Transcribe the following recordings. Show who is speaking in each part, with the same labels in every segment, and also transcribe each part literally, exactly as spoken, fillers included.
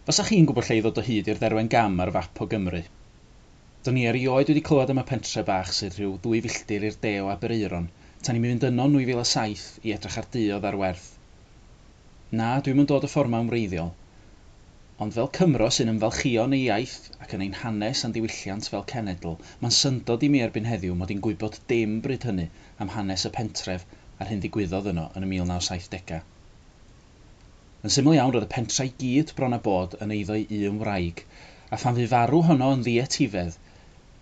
Speaker 1: Fasach chi'n gwybod lle i ddod o hyd i'r Dderwen Gam ar fap o Gymru? Do'n i erioed wedi clywed am y pentre bach sydd rhyw ddwy filltir i'r de o Aberaeron, tan i mi fynd yno yn nwy fil a saith i edrych ar dŷ oedd ar werth. Na, dwi'm yn dod y ffordd 'ma yn wreiddiol. Ond fel Cymro sy'n ymfalchïo yn ei iaith ac yn ein hanes a'n diwylliant fel cenedl, mae'n syndod i mi erbyn heddiw mod i'n gwybod dim bryd hynny am hanes y pentref a'r hyn ddigwyddodd yno yn y mil naw saithdegau. Yn syml iawn, roedd y pentre i gyd bron a bod yn eiddo i un wraig, a phan fu farw honno yn ddietifedd,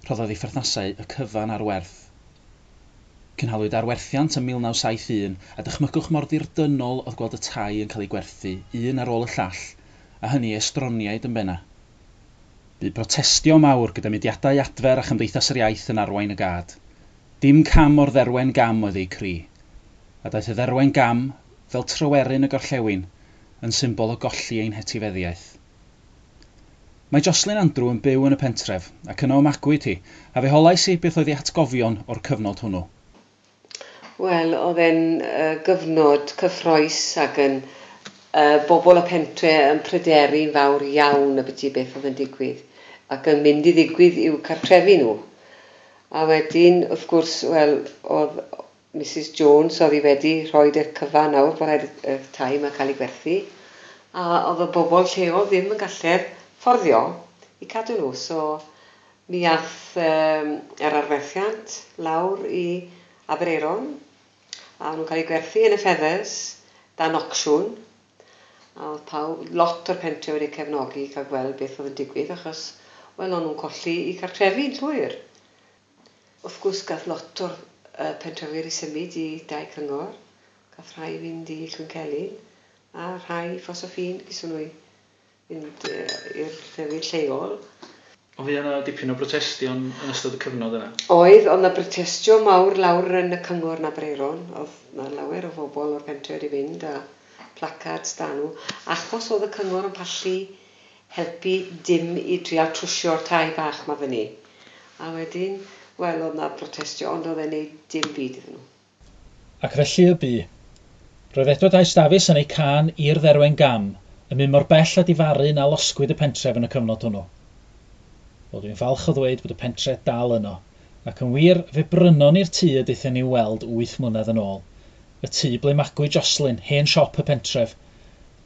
Speaker 1: rhoddodd ei pherthnasau y cyfan ar werth. Cynhaliwyd arwerthiant ym mil naw saith un, a dychmygwch mor ddirdynnol oedd gweld y tai yn cael eu gwerthu, un ar ôl y llall, a hynny estroniaid yn benna. Bu protestio mawr gyda mudiadau adfer a Chymdeithas yr Iaith yn arwain y gad. Dim cam o'r Dderwen Gam oedd eu cri. A daeth y Dderwen Gam, fel Tryweryn y Gorllewin, yn symbol o golli ein hetifeddiaeth. Mae Jocelyn Andrew yn byw yn y pentref, ac yno y magwyd hi, a fe holais i beth oedd ei hatgofion o'r cyfnod hwnnw.
Speaker 2: Wel, oedd e'n uh, gyfnod cyffrous ac yn uh, bobl y pentre yn pryderu'n fawr iawn ambiti beth oedd yn digwydd ac yn mynd i ddigwydd i'w cartrefi nhw. A wedyn, wrth gwrs, wel, oedd Missus Jones oedd hi wedi rhoi y cyfan nawr bod rhaid y tai yma cael ei gwerthu, a oedd y bobl lleol ddim yn gallu'r fforddio i cadw nhw. So mi ath um, yr arwerthiant lawr i Aberaeron, a nhw'n cael eu gwerthu yn y Feathers dan ocsiwn. A oedd pawb, lot o'r pentre wedi cefnogi i cael gweld beth oedd yn digwydd, achos wel, o'n nhw'n colli i cartrefi'n llwyr. Wrth gwrs, gath lot o'r uh, pentrefwyr i symud i dai cyngor, gath rhai fynd i Llwyncelyn, a rhai Ffos-y-ffin, gyson nhw i fynd uh, i'r llefydd lleol.
Speaker 1: Ond fuodd yna dipyn o brotestio'n yn ystod y cyfnod yna?
Speaker 2: Oedd, oedd yna brotestio mawr lawr yn y cyngor yn Aberaeron. Oedd yna lawer o bobl o'r pentre wedi fynd a placards da nhw, achos oedd y cyngor yn pallu helpu dim i trial trwsio'r tai bach ma fyny. A wedyn, wel, oedd yna protestio, ond oedd e'n neud dim byd iddyn nhw.
Speaker 1: Ac felly y bu. Roedd Edward Ice Dafis yn ei cân i'r Dderwen Gam, yn mynd mor bell a difaru na losgwyd y pentref yn y cyfnod hwnnw. Wel, dwi'n falch o ddweud bod y pentre dal yno, ac yn wir, fe brynon ni'r tŷ y daethon ni weld wyth mlynedd yn ôl. Y tŷ ble magwyd Jocelyn, hen siop y pentref.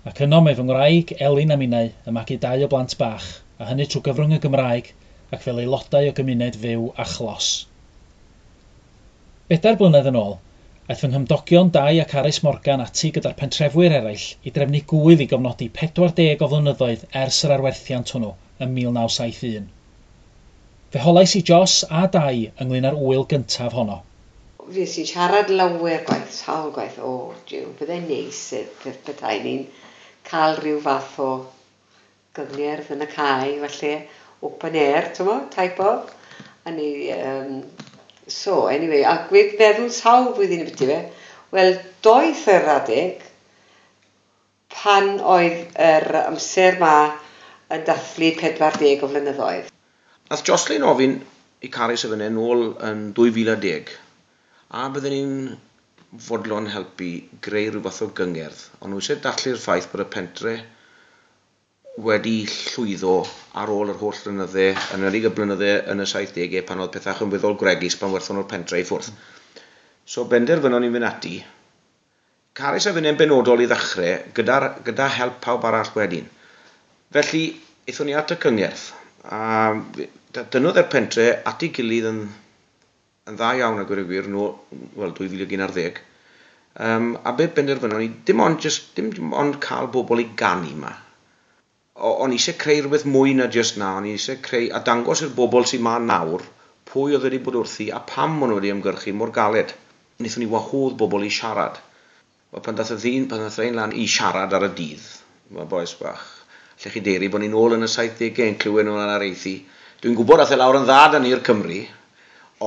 Speaker 1: Ac yno mae fy ngwraig, Elin a minnau, yn magu dau o blant bach, a hynny trwy gyfrwng y Gymraeg ac fel aelodau o gymuned fyw a chlos. Bedair blynedd yn ôl, aeth fy nghymdogion Dai ac Aris Morgan ati gyda'r pentrefwyr eraill i drefnu gŵyl i gofnodi pedwar deg o flynyddoedd ers yr arwerthiant hwnnw ym mil naw saith un. Fe holais i Jos a Dai ynglyn â'r ŵyl gyntaf honno.
Speaker 2: Fues i'n siarad lawer gwaith, sawl gwaith, o, jiw, byddai'n neis petai ni'n cael rhyw fath o gyngerdd yn y cae, falle open air, t'mo, type of. A ni, um, so, anyway, ac wedi meddwl sawl blwyddyn ambiti fe, wel, doedd yr adeg pan oedd yr amser ma yn dathlu pedwar deg o flynyddoedd.
Speaker 3: Nath Jocelyn ofyn i Carys a finne nôl yn dwy fil a deg, a bydden ni'n fodlon helpu greu rhyw fath o gyngerdd, ond nhw eisiau dathlu'r ffaith bod y pentre wedi llwyddo ar ôl yr holl flynydde, yn enwedig y blynydde yn y saithdegau pan oedd pethau yn weddol gwregys pan werthon nhw'r pentre i ffwrdd. So benderfynon ni fynd ati. Carys a finne'n benodol i ddechrau, gyda, gyda help pawb arall wedyn. Felly, aethon ni at y cyngerdd, a dynnodd yr pentre at ei gilydd yn, yn dda iawn a gweud y gwir, nôl, wel, dwy fil ag un ar ddeg. Um, a be benderfynon ni, dim ond, just, dim ond cael bobl i ganu ma. O-, o'n i eisiau creu rhywbeth mwy na just na, o'n i eisiau creu a dangos i'r bobl sy'n ma nawr pwy oedd wedi bod wrthi a pam maen nhw wedi ymgyrchu mor galed. Wnaethon ni wahodd bobl i siarad. Wel, pan dath y ddyn, pan dath rhain lan i siarad ar y dydd, mae boes bach, lle chi deiri bod ni'n ôl yn y saithdegau yn clywed nhw'n areithi. Dwi'n gwybod dath e lawr yn dda da ni'r Cymry,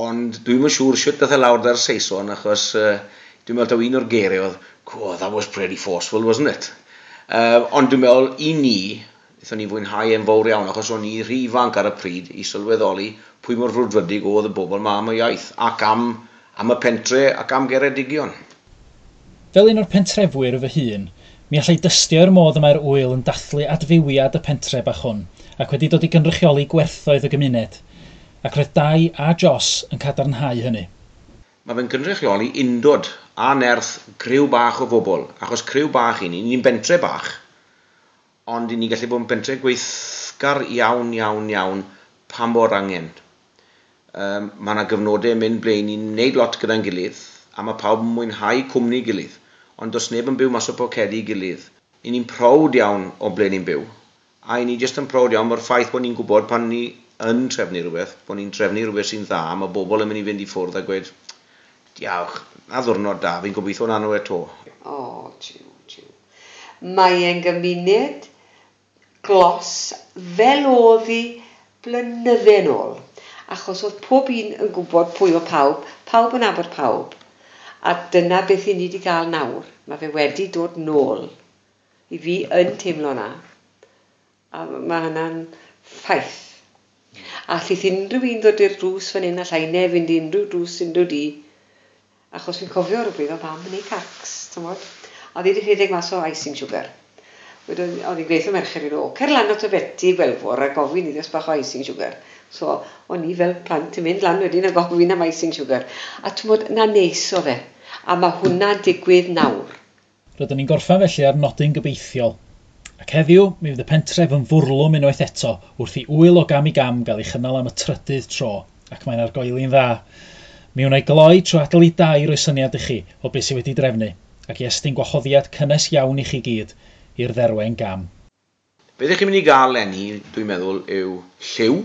Speaker 3: ond dwi'm yn siŵr shwt dath e lawr da'r Saeson, achos, uh, dwi'n meddwl taw un o'r geiriau oedd, oh, that was pretty forceful, wasn't it? Uh, ond dwi'n meddwl, i ni, wnaethon ni fwynhau e'n fawr iawn, achos o'n i rhy ifanc ar y pryd i sylweddoli pwy mor frwdfrydig oedd y bobl ma am y iaith, ac am, am y pentre ac am Geredigion.
Speaker 1: Fel un o'r pentrefwyr fy hun, Mi allai dystio i'r modd y mae'r ŵyl yn dathlu adfywiad y pentre bach hwn, ac wedi dod i gynrychioli gwerthoedd y gymuned. Ac roedd Dai a Jos yn cadarnhau hynny.
Speaker 3: Mae fe'n gynrychioli undod a nerth criw bach o bobl, achos criw bach i ni, ni'n bentre bach, ond i ni gallu bod yn bentre gweithgar iawn, iawn, iawn pan bo'r angen. Um, mae yna gyfnodau yn mynd ble ni'n neud lot gyda'n gilydd, a mae pawb yn mwynhau cwmni gilydd, ond does neb yn byw mas o pocedi gilydd. I ni'n prowd iawn o ble ni'n byw, a i ni jyst yn prowd iawn o'r ffaith bod ni'n gwybod pan ni yn trefnu rhywbeth, bod ni'n trefnu rhywbeth sy'n dda, mae bobl yn mynd i fynd i ffwrdd a gweud, diolch, na ddwrnod da, fi'n gobeithio na nhw eto.
Speaker 2: O, jiw, jiw. Mae e'n gymuned glos fel oedd hi blynydde nôl. Achos oedd pob un yn gwybod pwy o pawb, pawb yn nabod pawb. A dyna beth i ni wedi gael nawr. Mae fe wedi dod nôl. I fi yn teimlo na. A mae hynna'n ffaith. A allith unrhyw un ddod i'r drws fan hyn, allai neb fynd i unrhyw drws unrhyw di. Achos fi'n cofio rhywbryd o fam yn ei cacs, t'mod. A oedd hi wedi rhedeg mas o icing sugar. Wedyn oedd hi'n gweithio merched i nhw, cer lan at y Betty Gwelfor a gofyn iddi os bach o icing sugar. So, o'n i fel plant yn mynd lan wedyn a gofyn am icing sugar. A t'mod, na neis o fe. A mae hwnna'n digwydd nawr.
Speaker 1: Rydyn ni'n gorffen felly ar nodyn gobeithiol. Ac heddiw, mi fydd y pentref yn fwrlwm unwaith eto wrth i ŵyl o gam i gam gael ei chynnal am y trydydd tro, ac mae'n argoeli'n dda. Mi wna i gloi trwy adael i Dai roi syniad i chi o beth sydd wedi drefnu, ac i estyn gwahoddiad cynnes iawn i chi gyd i'r dderwen gam.
Speaker 3: Beth ych chi'n mynd i gael leni, dwi'n meddwl, yw lliw,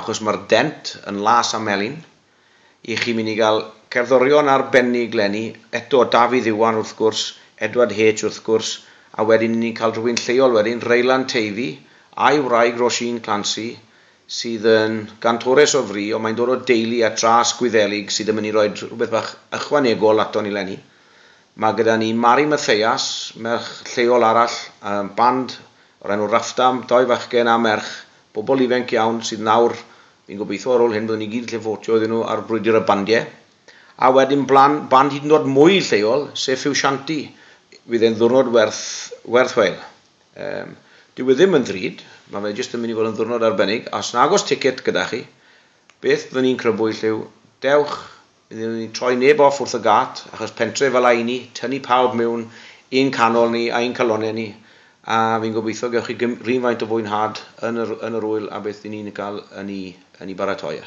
Speaker 3: achos mae'r dent yn las a melyn. I chi'n mynd i gael cerddorion arbennig leni, eto Dafydd Iwan wrth gwrs, Edward H wrth gwrs, a wedyn ni'n cael rhywun lleol wedyn, Raylan Teifi, a'i wraig Roisin Clancy, sydd yn gantores o fri, ond mae'n dod o deulu a tras Gwyddelig sydd yn mynd i roi rhywbeth bach ychwanegol ato ni leni. Mae gyda ni Mari Mathias, merch lleol arall, um, band o'r enw Raffdam, doi fachgen a merch, bobl ifanc iawn sydd nawr, fi'n gobeithio ar ôl hyn, byddwn ni gyd lle fotio iddyn nhw ar brwydr y bandiau. A wedyn blan, band hyd yn oed mwy lleol, sef Ffiwsianti, fydd e'n ddwrnod werth, werth chweil. Um, dyw e ddim yn ddrud, mae fe jyst yn mynd i fod yn ddwrnod arbennig, a os nag oes ticket gyda chi, beth byddwn ni'n crybwyll yw, dewch, byddwn ni'n troi neb off wrth y gat, achos pentre fel a ni, tynnu pawb mewn un canol ni a un calonau ni, a fi'n gobeithio gewch chi rhywfaint o fwynhad yn yr, yn yr ŵyl a beth ni'n cael yn ei, yn ei baratoi.